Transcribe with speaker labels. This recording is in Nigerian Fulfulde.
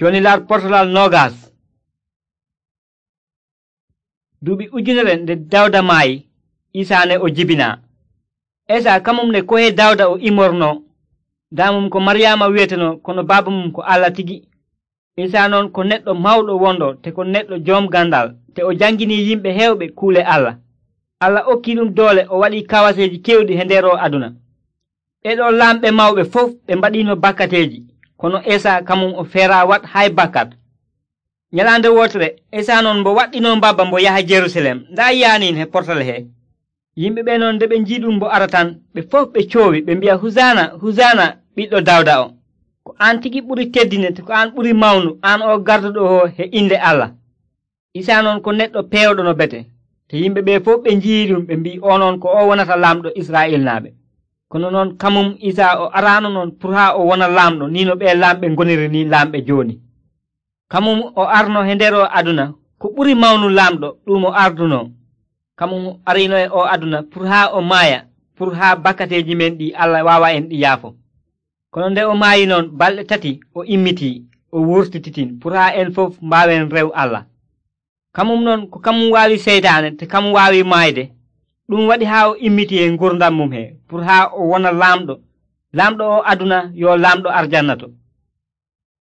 Speaker 1: Joni lar portalal nogas. Duuɓi ujunere nde Dawda maayi, Isaa ne o jibina. Esa kamum ne kohe Dawda o imorno. Damum ko Maryaama wiyeteno kono baaba mum ko Allah tigi. Isaa noon ko neɗɗo mawɗo wondo te ko neɗɗo joom gandal te o jangini yimɓe heewɓe kuule Allah. Allah okki ɗum doole o waɗi kawaseeji kewɗi he nder o aduna. Ɓeɗo lamɓe mawɓe fof ɓe mbaɗino bakkateeji, kono Isaa kamum o feera wat hay bakkat. Nyalande wotere Isaa noon mbo waɗɗino mbabba mbo yaha Jerusalem nda yaaniin he portal he. Yimɓe ɓe noon nde ɓe njiɗum mbo ara tan ɓe fof ɓe coowi ɓe mbi'a husana husana ɓiɗɗo Dawda o. Ko an tigi ɓuri teddine te ko an ɓuri mawnu an o garduɗo o he inde Allah. Isaa noon ko neɗɗo peewɗo no bete, te yimɓe ɓe fof ɓe nji'i ɗum ɓe mbi o noon ko o wonata laamɗo Israa'il naaɓe. Kono noon kamum Isaa o araano noon pour haa o wona laamɗo ni no ɓe lamɓe ngoniri ni lamɓe jooni. Kamum o arno he nder o aduna ko ɓuri mawnu laamɗo ɗum o arduno. Kamum arino e o aduna pour haa o maaya, pour haa bakkateeji men ɗi Allah waawa en ɗi yaafo. Kono nde o maayi noon balɗe 3 o immitii, o wurtititin pour haa en fof mbaawen rew Allah. Kamum noon ko kamum waawi seytaane te kamum waawi maayde. Ɗum waɗi haa o immitii e ngurdam mum he pour haa o wona laamɗo. Laamɗo o aduna yo laamɗo arjanna to.